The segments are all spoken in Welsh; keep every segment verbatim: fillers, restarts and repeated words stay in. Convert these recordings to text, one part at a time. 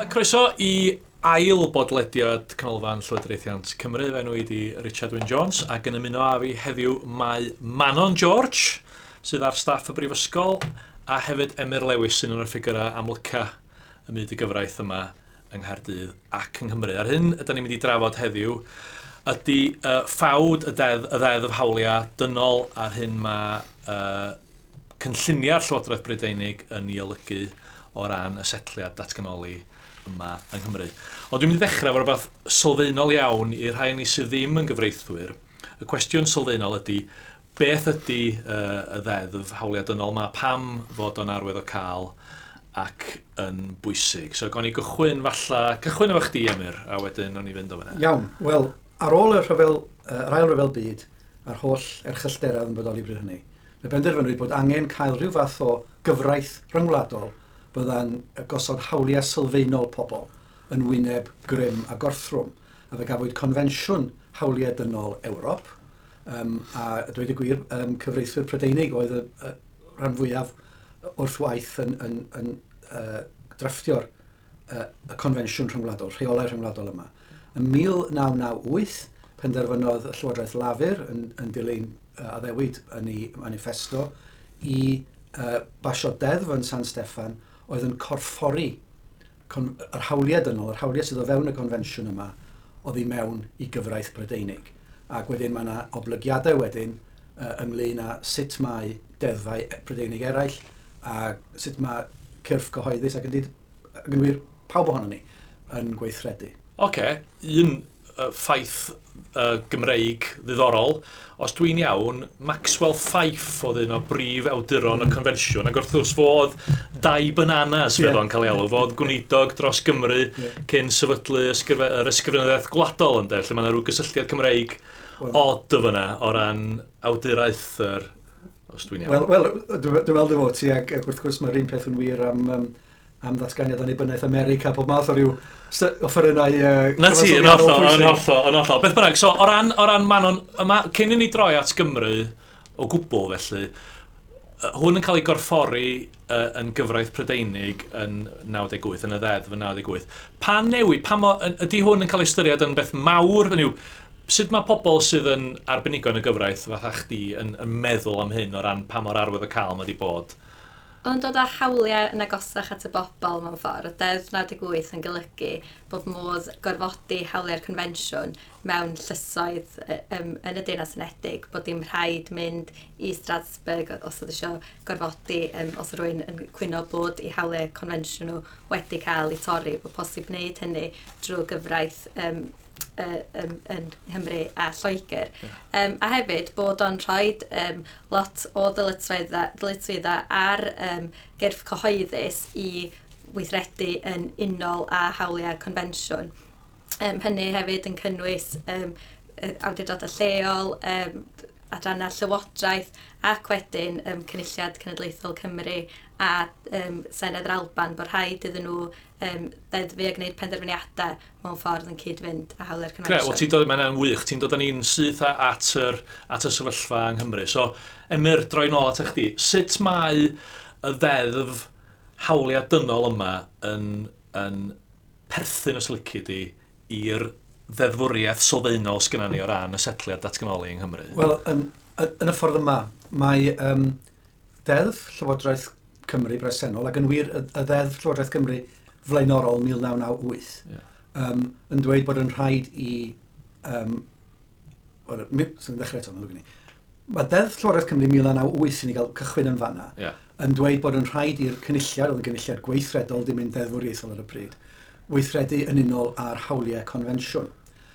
Croeso i ail bodlediad Canolfan Llywodraethiant Cymru. Fy enw i di Richard Wyn Jones ac yn ymuno â fi heddiw mae Manon George, sydd ar staff y Brifysgol, a hefyd Emyr Lewis, sy'n un o'r ffigurau amlyca ym myd y gyfraith yma yng Nghaerdydd ac yng Nghymru. A'r hyn ydyn ni'n mynd i drafod heddiw ydy uh, ffawd y deddf, y ddeddf hawliau dynol a'r hyn mae uh, cynlluniau'r Llywodraeth Brydeinig yn ei olygu o ran y setliad datganoli yma yng Nghymru. Ond dwi'n mynd i ddechrau efo rhywbeth sylfaenol iawn i'r rhai ni sydd ddim yn gyfreithwyr. Y cwestiwn sylfaenol ydy, beth ydy uh, y ddeddf hawliau dynol yma, pam fod o'n arwyddocaol ac yn bwysig? So, gawn ni gychwyn falla, cychwyn efo chdi, Emyr, a wedyn o'n i fynd o fyna. Iawn, wel, ar ôl y rhyfel, yr ail ryfel byd, a'r holl erchyllterau yn bodoli bryd hynny, fe benderfynwyd bod angen cael rhyw fath o gyfraith rhyngwladol bydda'n gosod hawliau sylfaenol pobl yn wyneb grym a gorthrwm. A fe gafwyd Confensiwn Hawliau Dynol Ewrop, um, a dweud y gwir, um, cyfreithwyr Prydeinig oedd y, y rhan fwyaf wrth waith yn, yn, yn uh, drafftio'r uh, y confensiwn rhyngwladol, rheolau rhyngwladol yma. Yn mil naw naw wyth, penderfynodd y Llywodraeth Lafur yn, yn dilyn uh, addewid yn ei manifesto i uh, basio deddf yn San Steffan oedd yn corffori con-, yr hawliau dynol, yr hawliau sydd o fewn y confensiwn yma, oddi mewn i gyfraith Brydeinig. Ac wedyn mae yna oblygiadau wedyn uh, ynglyn â sut mae deddfau Prydeinig eraill a sut mae cyrff cyhoeddus ac yn, ac yn wir pawb ohonon ni yn gweithredu. Oce, okay. Un uh, ffaith uh, Gymreig ddiddorol. Os dwi'n iawn, Maxwell Fyfe oedd un o brif awduron y confensiwn, ac wrth gwrs fo oedd Dai Bananas, fel yeah. o'n cael ei alw, fo oedd gweinidog dros Gymru yeah. cyn sefydlu ysgrife-, yr ysgrifenyddiaeth gwladol, ynde, lle mae yna rhyw gysylltiad Cymreig well, od o fyna o ran awduraeth yr, os dwi'n iawn. Wel, wel, dwi'n meddwl dy fod ti, ac, ac wrth gwrs mae'r un peth yn wir am, um, am ddatganiad annibyniaeth America, pob math o ryw offerynnau... Uh, Na ti, yn hollol, yn hollol, yn hollol. Beth bynnag, so o ran, o ran Manon, yma, cyn i ni droi at Gymru o gwbl felly, hwn yn cael ei gorffori uh, yn gyfraith Prydeinig yn naw deg wyth, yn y ddeddf yn naw deg wyth. Pa newid, pa mo, ydy hwn yn cael ei ystyried yn beth mawr? Hynny yw, sut mae pobl sydd yn arbenigo yn y gyfraith fatha chdi yn, yn meddwl am hyn o ran pa mor arwyddocaol mae wedi bod? Ond dod â hawliau yn agosach at y bobl mewn ffordd, Deddf naw deg wyth yn golygu bod modd gorfodi hawliau'r confensiwn mewn llysoedd um, yn y Deyrnas Unedig, bod dim rhaid mynd i Strasbourg os oedd eisiau gorfodi, um, os oedd rhywun yn cwyno bod eu hawliau confensiwn nhw wedi cael eu torri, bod posib wneud hynny drwy gyfraith um, yn, yn Nghymru a Lloegr. Yeah. Um, a hefyd bod o'n rhoi um, lot o ddyletswyddau, ddyletswyddau ar um, gyrff cyhoeddus i weithredu yn unol â hawliau confensiwn. Um, hynny hefyd yn cynnwys um, awdurdodau lleol, um, adrannau llywodraeth ac wedyn um, Cynulliad Cenedlaethol Cymru a um, Senedd yr Alban, bod rhaid iddyn nhw um, ddeddfu a gwneud penderfyniadau mewn ffordd yn cyd-fynd â hawliau'r Gre, wel, confensiwn. ti'n dod, mae'n wych, ti'n dod â ni'n syth at yr, at y sefyllfa yng Nghymru. So, Emyr, droi nôl at chdi. Sut mae y ddeddf hawliau dynol yma yn, yn perthyn, os lici di, i'r ddeddfwriaeth sylfaenol sgynna ni o ran y setliad datganoli yng Nghymru? Wel, yn, yn y ffordd yma, mae um, Deddf Llywodraeth Cymru bresennol, ac yn wir y, y Ddeddf Llywodraeth Cymru flaenorol mil naw naw wyth, yeah. um, yn dweud bod yn rhaid i... Um, well, sy'n ddechrau eto, mae'n i. Mae Deddf Llywodraeth Cymru mil naw naw wyth i ni gael cychwyn yn fanna, yeah. yn dweud bod yn rhaid i'r cynulliad, oedd yn gynulliad gweithredol, dim un deddfwriaethol ar y pryd, weithredu yn unol â'r hawliau confensiwn.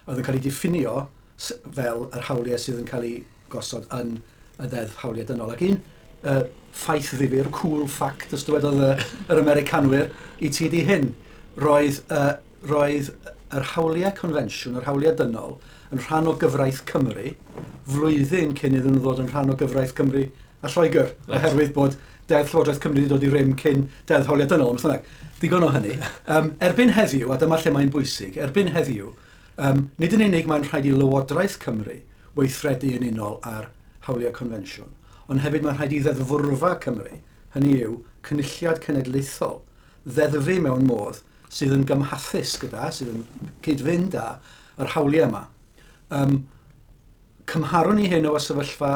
Oedd yn cael ei diffinio fel yr hawliau sydd yn cael ei gosod yn y Ddeddf Hawliau Dynol. Ac un uh, ffaith ddifyr, cool fact, os dywedodd y, yr Americanwyr, i ti di hyn, roedd, uh, roedd yr hawliau confensiwn, yr hawliau dynol, yn rhan o gyfraith Cymru, flwyddyn cyn iddyn nhw ddod yn rhan o gyfraith Cymru a Lloegr, right. oherwydd bod Deddf Llywodraeth Cymru wedi dod i rym cyn Deddf Hawliau Dynol. Ond bynnag, digon o hynny. Um, erbyn heddiw, a dyma lle mae'n bwysig, erbyn heddiw, um, nid yn unig mae'n rhaid i Lywodraeth Cymru weithredu yn unol ar hawliau confensiwn, ond hefyd mae'n rhaid i Ddeddfwrfa Cymru, hynny yw Cynulliad Cenedlaethol, ddeddfu mewn modd sydd yn gymhathus gyda, sydd yn cyd-fynd â yr hawliau yma. Um, cymharwn ni hyn o sefyllfa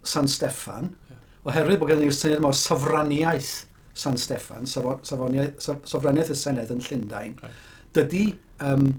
San Steffan, yeah. oherwydd bod gen ni'r syniad yma o sofraniaeth San Steffan, sofraniaeth, sofraniaeth y Senedd yn Llundain, right. Dydy, um,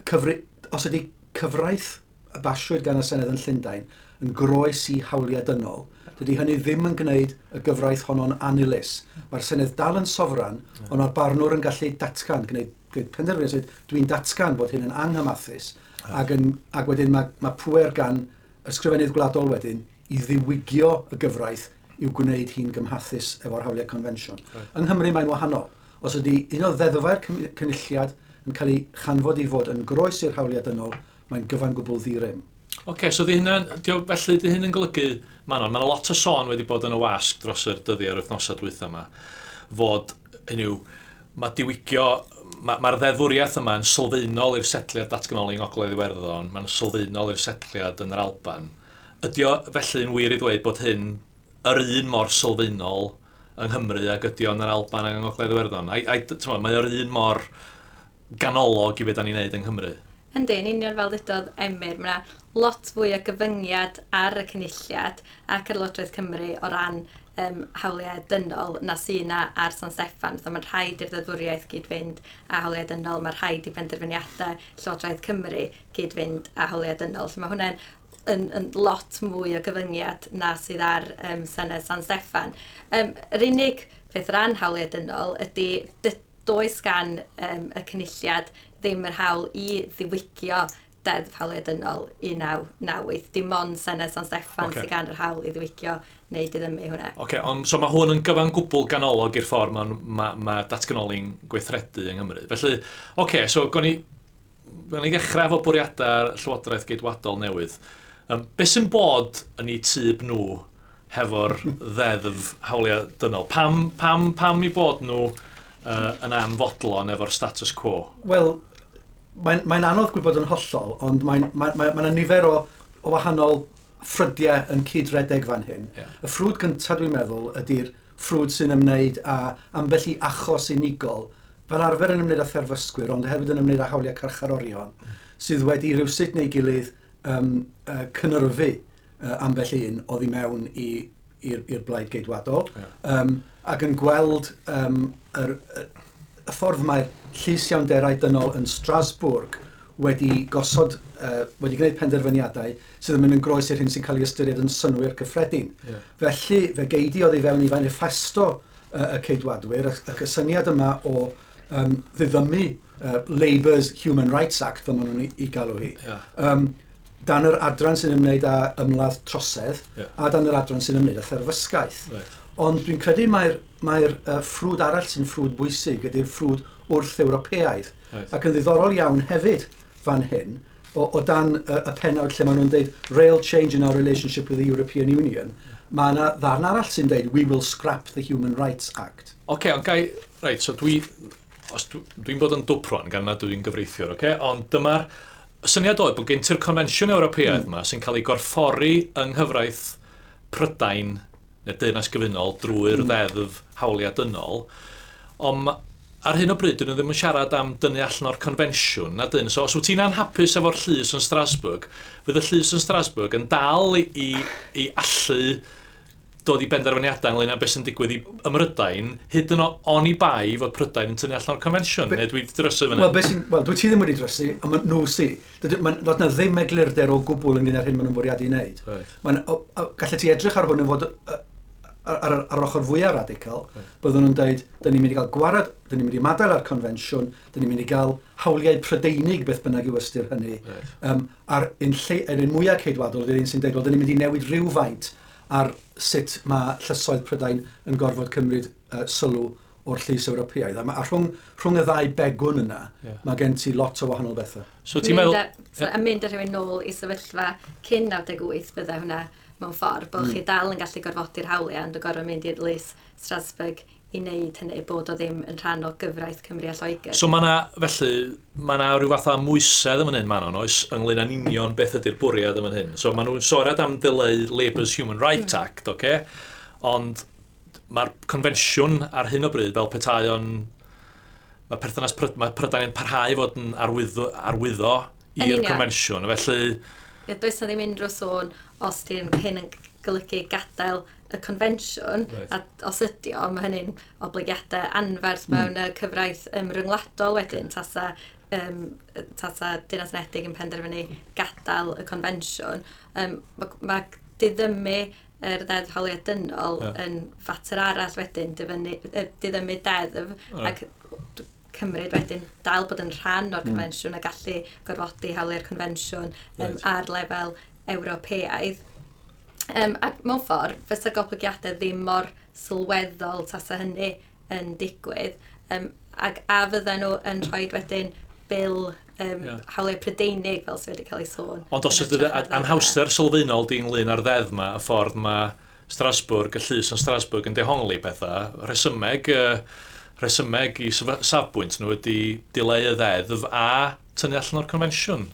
cyfri, os ydy cyfraith y basiwyd gan y Senedd yn Llundain yn groes i hawliau dynol, dydy hynny ddim yn gwneud y gyfraith honno'n annilys. Mae'r Senedd dal yn sofran, yeah. ond mae'r barnwr yn gallu datgan, gwneud, gwneud penderfyniad, dwi'n datgan bod hyn yn anghymathus, yeah. ac, yn, ac wedyn mae, mae pŵer gan Ysgrifennydd Gwladol wedyn i ddiwygio y gyfraith i'w gwneud hi'n gymhathus efo'r hawliau confensiwn. Right. Yng Nghymru mae'n wahanol. Os ydy un o ddeddfau'r cynulliad yn cael ei chanfod i fod yn groes i'r hawliau dynol, mae'n gyfan gwbl ddi-rym. Oce, okay, so di hynna'n, felly di hyn yn golygu, Manon, mae'n lot o sôn wedi bod yn y wasg dros yr dyddiau yr wythnosau dwytha yma, fod, hynny yw, mae diwygio, mae'r ma ddeddfwriaeth yma yn sylfaenol i'r setliad datganoli yng Ngogledd Iwerddon, mae'n sylfaenol i'r setliad yn yr Alban. Ydy o felly yn wir i ddweud bod hyn yr un mor sylfaenol yng Nghymru ag ydy o yn yr Alban ac yng Ngogledd Iwerddon? Ai, ai, t'mo, mae o'r un mor ganolog i beth da ni'n neud yng Nghymru? Yndi, yn union fel ddudodd Emyr, mae yna lot fwy o gyfyngiad ar y cynulliad ac ar Lywodraeth Cymru o ran um, hawliau dynol na sy'n yna ar San Steffan. So mae'n rhaid i'r ddeddfwriaeth gyd-fynd â hawliau dynol, mae'n rhaid i benderfyniadau Llywodraeth Cymru gyd-fynd â hawliau dynol. So mae hwnna'n yn, yn lot mwy o gyfyngiad na sydd ar um, Senedd San Steffan. Um, yr unig peth ran hawliau dynol ydy does gan um, y cynulliad ddim yr hawl i ddiwygio Deddf Hawliau Dynol un naw naw wyth. Dim ond Senedd San Steffan okay. sydd gan yr hawl i ddiwygio neu diddymu hwnna. Oce, okay, ond so mae hwn yn gyfan gwbl ganolog i'r ffordd mae ma, ma datganoli'n gweithredu yng Nghymru. Felly, oce, okay, so gawn ni, gawn ni ddechrau efo bwriadau'r Llywodraeth Geidwadol newydd. Um, be sy'n bod yn eu tyb nhw hefo'r ddeddf hawliau dynol? Pam, pam, pam i bod nhw uh, yn anfodlon efo'r status quo? Wel, mae'n mae anodd gwybod yn hollol, ond mae'n mae, mae, mae nifer o, o wahanol ffrydiau yn cydredeg fan hyn. Yeah. Y ffrwd gyntaf dwi'n meddwl ydy'r ffrwd sy'n ymwneud â ambell i achos unigol, fel arfer yn ymwneud â therfysgwyr, ond hefyd yn ymwneud â hawliau carcharorion, mm. sydd wedi rywsut neu gilydd um, uh, cynyrfu uh, ambell un oddi mewn i'r i'r blaid geidwadol, yeah. um, ac yn gweld um, yr, y ffordd mae'r llys iawnderau dynol yn Strasbourg wedi gosod, uh, wedi gwneud penderfyniadau sydd yn mynd yn groes i'r hyn sy'n cael ei ystyried yn synnwyr cyffredin. Yeah. Felly, fe geidi oddi fewn i manifesto uh, y ceidwadwyr, ac y syniad yma o um, ddiddymu uh, Labour's Human Rights Act, fel maen nhw'n ei, ei galw hi, yeah. um, dan yr adran sy'n ymwneud â ymladd trosedd, yeah. a dan yr adran sy'n ymwneud â therfysgaeth. Right. Ond dwi'n credu mae'r mae'r uh, ffrwd arall sy'n ffrwd bwysig ydy'r ffrwd wrth-Ewropeaidd. Right. Ac yn ddiddorol iawn hefyd fan hyn, o, o dan y, y pennawd lle maen nhw'n dweud rail change in our relationship with the European Union, mae yna ddarn arall sy'n dweud we will scrap the Human Rights Act. Oce, okay, ond gai, reit, so dwi, os dwi'n dwi bod yn dwpron gan nad dwi'n gyfreithiwr, oce? Okay? Ond dyma'r syniad oedd bod gen ti'r Confensiwn Ewropeaidd mm. yma sy'n cael ei gorffori yng nghyfraith Prydain neu Deyrnas Gyfunol drwy'r mm. ddeddf hawliau dynol, ond ar hyn o bryd dyn nhw ddim yn siarad am dynnu allan o'r confensiwn, na dyn. So os wyt ti'n anhapus efo'r llys yn Strasbourg, fydd y llys yn Strasbourg yn dal i, i, i allu dod i benderfyniadau ynglyn â beth sy'n digwydd i ym Mhrydain, hyd yn oed oni bai fod Prydain yn tynnu allan o'r confensiwn, neu dwi wedi drysu fyny? Wel, wel, dwi ti ddim wedi drysu, ond ma' nhw sy. Doedd na ddim eglurder o gwbl ynglyn â'r hyn maen nhw'n bwriadu i wneud. Right. Mae'n, gallet ti edrych ar hwn yn fod ar, ar, ar ochr fwyaf radical, right. byddwn nhw'n dweud, dyn ni'n mynd i gael gwarad, dyn ni'n mynd i ymadael â'r confensiwn, dyn ni'n mynd i gael hawliau Prydeinig, beth bynnag yw ystyr hynny. Right. Um, a'r un, lle, yr un mwyaf ceidwadol, ydy'r un sy'n dweud, wel, dyn ni'n mynd i newid rhywfaint ar sut mae llysoedd Prydain yn gorfod cymryd uh, sylw o'r llys Ewropeaidd. A, ma, a rhwng, rhwng y ddau begwn yna, yeah. mae gen ti lot o wahanol bethau. So ti'n meddwl... So, a mynd â rhywun nôl i sefyllfa cyn naw deg wyth bydde hwnna mewn ffordd, bod mm. chi dal yn gallu gorfodi'r hawliau, ond yn gorfod mynd i'r lys Strasbourg i wneud hynny, bod o ddim yn rhan o gyfraith Cymru a Lloegr. So mae yna, felly, mae yna rhyw fath o amwysedd yn fan hyn, Manon, oes, ynglyn â'n union beth ydy'r bwriad yn fan hyn. So maen nhw'n siarad am dileu Labour's Human Rights mm. Act, oce? Okay? Ond mae'r confensiwn ar hyn o bryd fel petai o'n Mae perthynas Pryd, mae Prydain yn parhau fod yn arwyddo, arwyddo i'r confensiwn, felly... Ie, does na ddim unrhyw sôn os di'n hyn yn golygu gadael y confensiwn, right. A os ydy o, mae hynny'n oblygiadau anferth mm. mewn y cyfraith um, ryngwladol wedyn, tasa, um, tasa Deyrnas Unedig yn penderfynu gadael y confensiwn. Um, mae ma diddymu yr Ddeddf Hawliau Dynol yeah. yn fater arall wedyn, diddymu, diddymu deddf, right. Ac cymryd wedyn dal bod yn rhan o'r confensiwn mm. a gallu gorfodi hawliau'r confensiwn um, right. ar lefel Ewropeaidd. Um, ac mewn ffordd, fysa goblygiadau ddim mor sylweddol tasa hynny yn digwydd. Um, ac a fydden nhw yn rhoi wedyn bil um, yeah. hawliau Prydeinig fel sydd wedi cael ei sôn. Ond os ydy anhawster sylfaenol di ynglyn â'r ddeddf yma, y ffordd mae Strasbourg, y llys yn Strasbourg yn dehongli pethau, rhesymeg, uh, rhesymeg i safbwynt nhw ydy dileu y ddeddf a tynnu allan o'r confensiwn.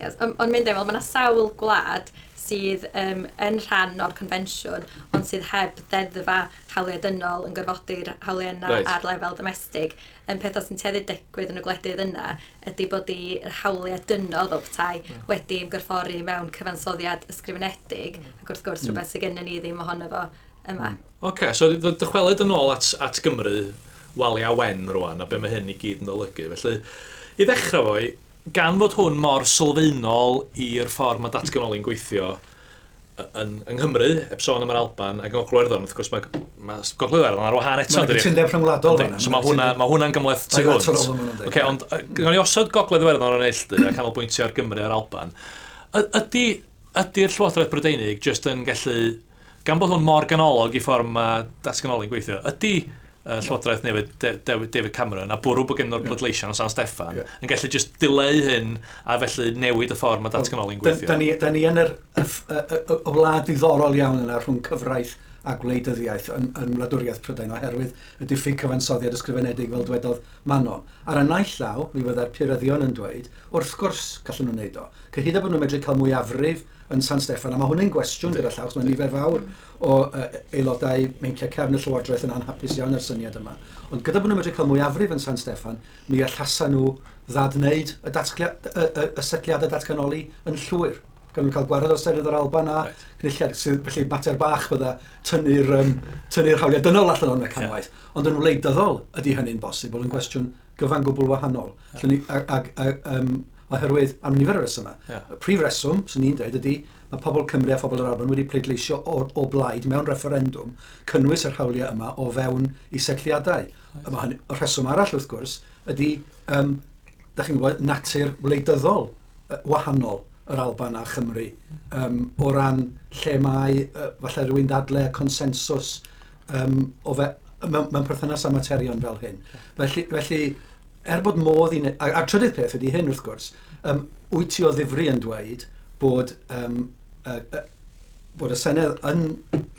Yes, ond on mynd efo, mae yna sawl gwlad sydd um, yn rhan o'r confensiwn, ond sydd heb ddeddfa hawliau dynol yn gorfodi'r hawliau yna right. ar lefel domestig. Um, pethau sy'n tueddu digwydd yn y gwledydd yna ydy bod i'r hawliau dynol fel petai mm. wedi ymgorffori mewn cyfansoddiad ysgrifenedig, mm. ac wrth gwrs mm. rhywbeth sydd gennym ni ddim ohono fo yma. Mm. Oce, okay, so dychwelyd yn ôl at, at Gymru, Walia Wen rwan, a be mae hyn i gyd yn olygu. Felly, i ddechrau foi, gan fod hwn mor sylfaenol i'r ffordd mae datganoli'n gweithio yn, yng Nghymru, heb sôn am yr Alban, ac yng Ngogledd Iwerddon, wrth gwrs mae, mae Gogledd Iwerddon ar wahân eto. Mae'n cytundeb rhyngwladol fan'na. So mae hwnna, mae hwnna'n gymhleth tu hwnt. Okay, ond gawn ni osod Gogledd Iwerddon ar y neilltu a canolbwyntio ar Gymru a'r Alban. Ydy, ydy'r Llywodraeth Brydeinig jyst yn gallu, gan bod hwn mor ganolog i ffordd mae datganoli'n gweithio, ydy Llywodraeth newydd David Cameron a bwrw bod gen nhw'r pleidleisiau yn San Steffan yeah. yn gallu just dileu hyn a felly newid y ffordd mae datganoli'n gweithio. Da ni, da ni yn yr, y, y, y, y wlad ddiddorol iawn yna rhwng cyfraith a gwleidyddiaeth yn, yn wladwriaeth Prydain oherwydd y diffyg cyfansoddiad ysgrifenedig fel dwedodd Manon. Ar y naill law, mi fyddai'r puryddion yn dweud, wrth gwrs gallen nhw'n neud o. Cyhyd â bod nhw'n medru cael mwyafrif yn San Steffan, a mae hwn yn gwestiwn gyda llaw, mae nifer fawr o uh, aelodau meinciau cefn y Llywodraeth yn anhapus iawn â'r syniad yma. Ond gyda bod nhw'n medru cael mwyafrif yn San Steffan, mi allasa nhw ddadwneud y, datglia, y, y, y setliadau datganoli yn llwyr. Gan nhw'n cael gwared o'r Senedd yr Alban a right. Cynulliad, sydd felly mater bach bydda tynnu'r um, tynnu'r hawliau dynol allan o'r mecanwaith. Yeah. Ond yn wleidyddol ydy hynny'n bosibl yn gwestiwn gyfan gwbl wahanol. Yeah. Ni, a, a, a, um, oherwydd am nifer o resymau. Yeah. Y prif reswm, swn i'n dweud, ydy mae pobl Cymru a phobl yr Alban wedi pleidleisio o, o blaid mewn refferendwm cynnwys yr hawliau yma o fewn i setliadau. Right. Mae hynny, y rheswm arall wrth gwrs ydy, um, da chi'n gwybod, natur wleidyddol wahanol yr Alban a Chymru um, o ran lle mae uh, falle rhywun ddadle consensws um, o fe, mewn, mewn perthynas â materion fel hyn. Felly, felly er bod modd i... A, a'r trydydd peth ydy hyn wrth gwrs, um, wyt ti o ddifri yn dweud bod, um, uh, uh, bod y Senedd yn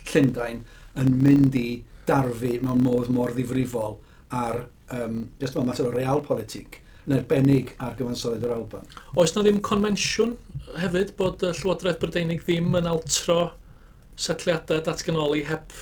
Llundain yn mynd i darfu mewn modd mor ddifrifol ar, um, just mewn mater o realpolitik, yn arbennig ar gyfansoddiad yr Alban. Oes na ddim confensiwn hefyd bod y Llywodraeth Brydeinig ddim yn altro setliadau datganoli heb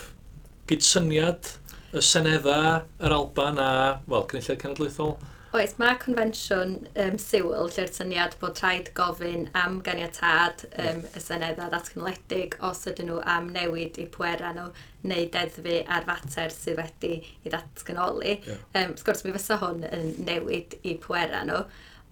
gydsyniad y Seneddau, yr Alban a, wel, Cynulliad Cenedlaethol? Oes, mae confensiwn um, Sewel lle'r syniad bod rhaid gofyn am ganiatâd um, y Seneddau ddatganoledig os ydyn nhw am newid eu pwerau nhw neu deddfu ar fater sydd wedi ei ddatganoli. Yeah. Um, wrth gwrs, mi fysa hwn yn newid eu pwerau nhw,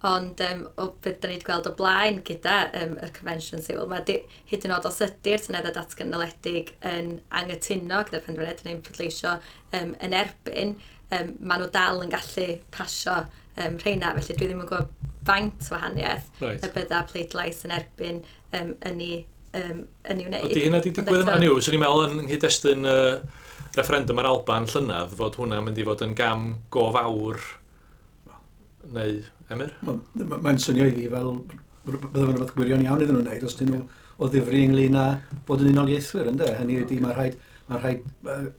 ond um, o beth da ni wedi gweld o blaen gyda um, yr confensiwn Sewel, mae di, hyd yn oed os ydy'r Seneddau datganoledig yn anghytuno gyda'r penderfyniad neu'n pleidleisio um, yn erbyn, um, maen nhw dal yn gallu pasio um, rheina, felly dwi ddim yn gwybod faint wahaniaeth right. y bydda pleidlais yn erbyn um, yn ei, um, yn ei wneud. Ydy hynna wedi digwydd yma? Yw, swn i'n meddwl yn nghyd-destun uh, referendum ar Alban llynedd fod hwnna'n mynd i fod yn gam go fawr neu Emyr? Mae'n swnio i fi fel bydde fe'n rhywbeth gwirion iawn iddyn nhw'n wneud os dyn nhw o ddifri ynglyn â bod yn unoliaethwyr, ynde? Hynny ydy mae rhaid, mae rhaid uh,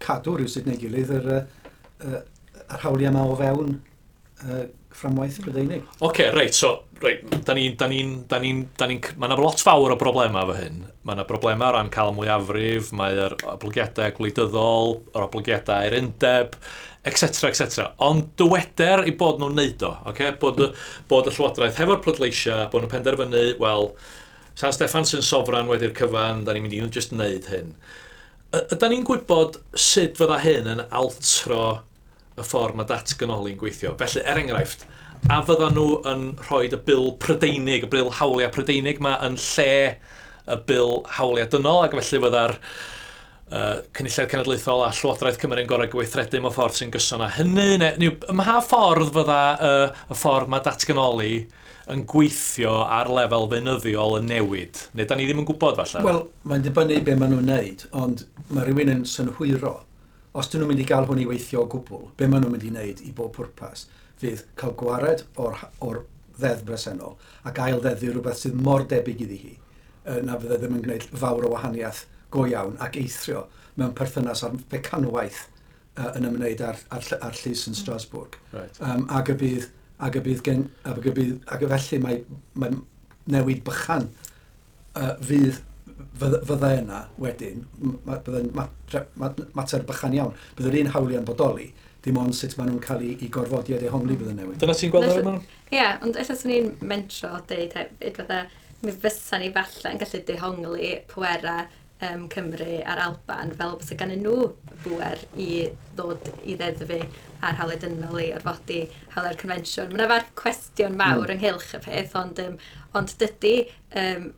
cadw rhywsut neu gilydd yr, uh, yr hawliau yma o fewn uh, fframwaith Prydeinig. Oce, okay, reit, so, reit, da ni'n, da ni'n, da ni'n, da ni'n, mae yna lot fawr o broblemau efo hyn. Mae yna broblemau o ran cael mwyafrif, mae'r oblygiadau gwleidyddol, yr oblygiadau i'r undeb, et cetera, et cetera. Ond dyweder i bod nhw'n neud o, okay? Bod, bod y Llywodraeth hefo'r pleidleisiau, bod nhw'n penderfynu, wel, San Steffan sy'n sofran wedi'r cyfan, da ni'n mynd i just wneud hyn. Ydan ni'n gwybod sut fydda hyn yn altro y ffordd mae datganoli'n gweithio? Felly, er enghraifft, a fydda nhw yn rhoi y bil Prydeinig, y bil hawliau Prydeinig ma yn lle y bil hawliau dynol, ac felly fydda'r uh, Cynulliad Cenedlaethol a Llywodraeth Cymru'n gorau gweithredu mewn ffordd sy'n gyson â hynny? Neu, neu, ym mha ffordd fydda uh, y ffordd mae datganoli yn gweithio ar lefel feunyddiol yn newid? Neu da ni ddim yn gwybod falle? Wel, mae'n dibynnu be maen nhw'n wneud, ond mae rhywun yn synhwyro. Os dyn nhw'n mynd i gael hwn i weithio o gwbl, be maen nhw'n mynd i wneud i bob pwrpas fydd cael gwared o'r, o'r ddeddf bresennol ac ail ddeddfu rhywbeth sydd mor debyg iddi hi, na fydde ddim yn gwneud fawr o wahaniaeth go iawn ac eithrio mewn perthynas â'r fecanwaith uh, yn ymwneud â'r, ar, ar llys yn Strasbourg. Right. Um, ac y bydd, ac y bydd gen, ac y bydd, ac y felly mae, mae newid bychan uh, fydd fydde yna wedyn, bydde'n mater bychan iawn. Bydd yr un hawliau'n bodoli, dim ond sut maen nhw'n cael ei, ei gorfodi a dehongli bydd yn newid. Dyna ti'n gweld ar yma? Ie, ond ella swn i'n mentro deud hefyd, fydde, mi fysa ni falle yn gallu dehongli pwerau um, Cymru a'r Alban fel bysa gan nhw bwer i ddod i ddeddfu ar hawliau dynol i orfodi hawliau'r confensiwn. Mae yna farth cwestiwn mawr mm. ynghylch y peth, ond, um, ond dydy um,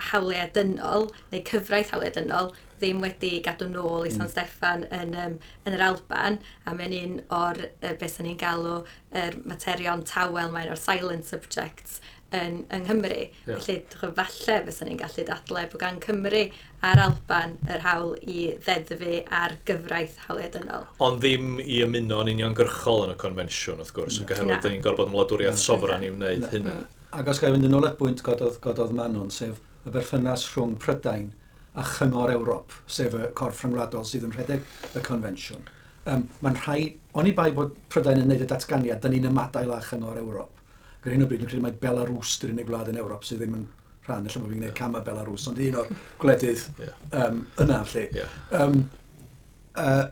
hawliau dynol, neu cyfraith hawliau dynol, ddim wedi gadw nôl i San mm. Steffan yn, um, yn yr Alban, a mae'n un o'r, uh, beth sy'n ni'n galw, yr materion tawel, mae'n o'r silent subjects yn, yng Nghymru. Yeah. Felly, falle fysa ni'n gallu dadlau bod gan Cymru a'r Alban yr hawl i ddeddfu ar gyfraith hawliau dynol. Ond ddim i ymuno yn uniongyrchol yn y confensiwn, wrth gwrs, yn oherwydd da ni'n gorfod yn wladwriaeth sofran i wneud hynna. Ac os ga i fynd yn ôl at bwynt gododd, gododd Manon, sef y berthynas rhwng Prydain a Chyngor Ewrop, sef y corff rhyngwladol sydd yn rhedeg y confensiwn. Um, mae'n rhaid, oni bai bod Prydain yn gwneud y datganiad, da ni'n ymadael â Chyngor Ewrop. Ac ar hyn o bryd, dwi'n credu mai Belarus dy'r unig wlad yn Ewrop sydd ddim yn rhan, ella bod fi'n gwneud cam â Belarus, ond un o'r gwledydd yeah. um, yna, felly. Yeah. Um, uh,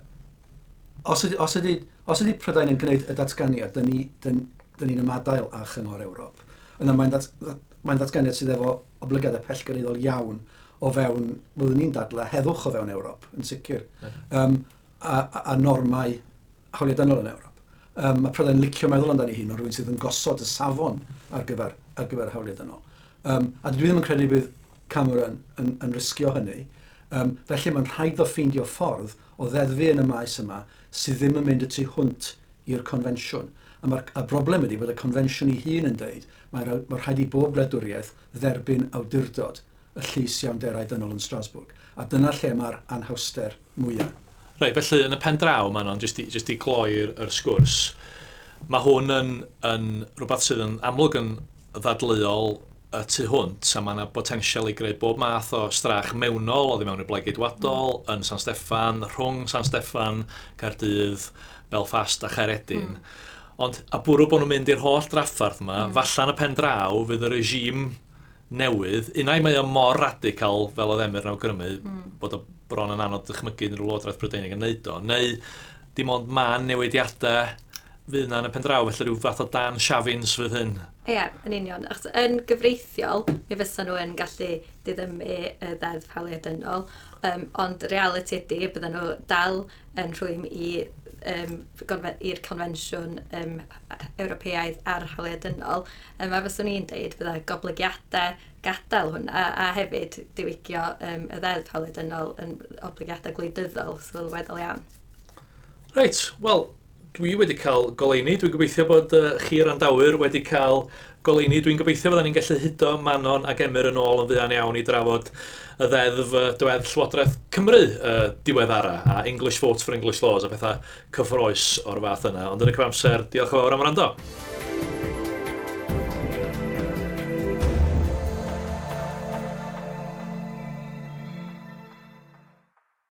os, ydy, os, ydy, os ydy Prydain yn gwneud y datganiad, da ni'n ni, ni'n ymadael â Chyngor Ewrop. Yna mae'n dat, mae'n datganiad sydd efo oblygiadau pellgyrhaeddol iawn o fewn, byddwn ni'n dadlau, heddwch o fewn Ewrop, yn sicr, yeah. um, a, a, a normau hawliau dynol yn Ewrop. Um, mae Prydain licio meddwl amdani hun o rhywun sydd yn gosod y safon ar gyfer, ar gyfer hawliau dynol. Um, a dwi ddim yn credu bydd Cameron yn, yn risgio hynny. Um, felly mae'n rhaid o ffeindio ffordd o ddeddfu yn y maes yma sydd ddim yn mynd y tu hwnt i'r confensiwn. A mae'r y broblem ydy bod y confensiwn ei hun yn deud mae, mae rhaid i bob gwladwriaeth dderbyn awdurdod y llys iawnderau dynol yn Strasbourg. A dyna lle mae'r anhawster mwyaf. Reit, felly yn y pen draw, Manon, jyst i, jyst i gloi'r yr sgwrs, mae hwn yn, yn rhywbeth sydd yn amlwg yn ddadleuol y tu hwnt, a mae yna botensial i greu bob math o strach mewnol oddi mewn i'r Blaid Geidwadol, mm. yn San Steffan, rhwng San Steffan, Caerdydd, Belfast a Chaeredin. Mm. Ond a bwrw bod nhw'n mynd i'r holl draffarth yma, mm. falle yn y pen draw fydd y regime newydd, unai mae o mor radical fel oedd Emyr yn awgrymu, mm. bod o bron yn anodd dychmygu unrhyw Lywodraeth Brydeinig yn neud o, neu dim ond man newidiadau fydd yna yn y pen draw, felly rhyw fath o Dan Shavins fydd hyn. Ie, yeah, yn union. Achos yn gyfreithiol, mi fysa nhw yn gallu diddymu y ddeddf hawliau dynol, um, ond reality ydy, bydden nhw dal yn rhwym i um, i'r confensiwn um, Ewropeaidd ar hawliau dynol. Um, a fyswn i'n deud bydda goblygiadau gadael hwnna a hefyd diwygio um, y ddeddf hawliau dynol yn oblygiadau gwleidyddol sylweddol iawn. Reit, wel, dwi wedi cael goleuni. Dwi'n gobeithio bod uh, chi randawyr wedi cael goleuni. Dwi'n gobeithio fyddan ni'n gallu hudo Manon ac Emyr yn ôl yn fuan iawn i drafod y ddeddf uh, diwedd Llywodraeth Cymru uh, diweddara a English Votes for English Laws a pethau cyffrous o'r fath yna. Ond yn y cyfamser, diolch yn fawr am wrando.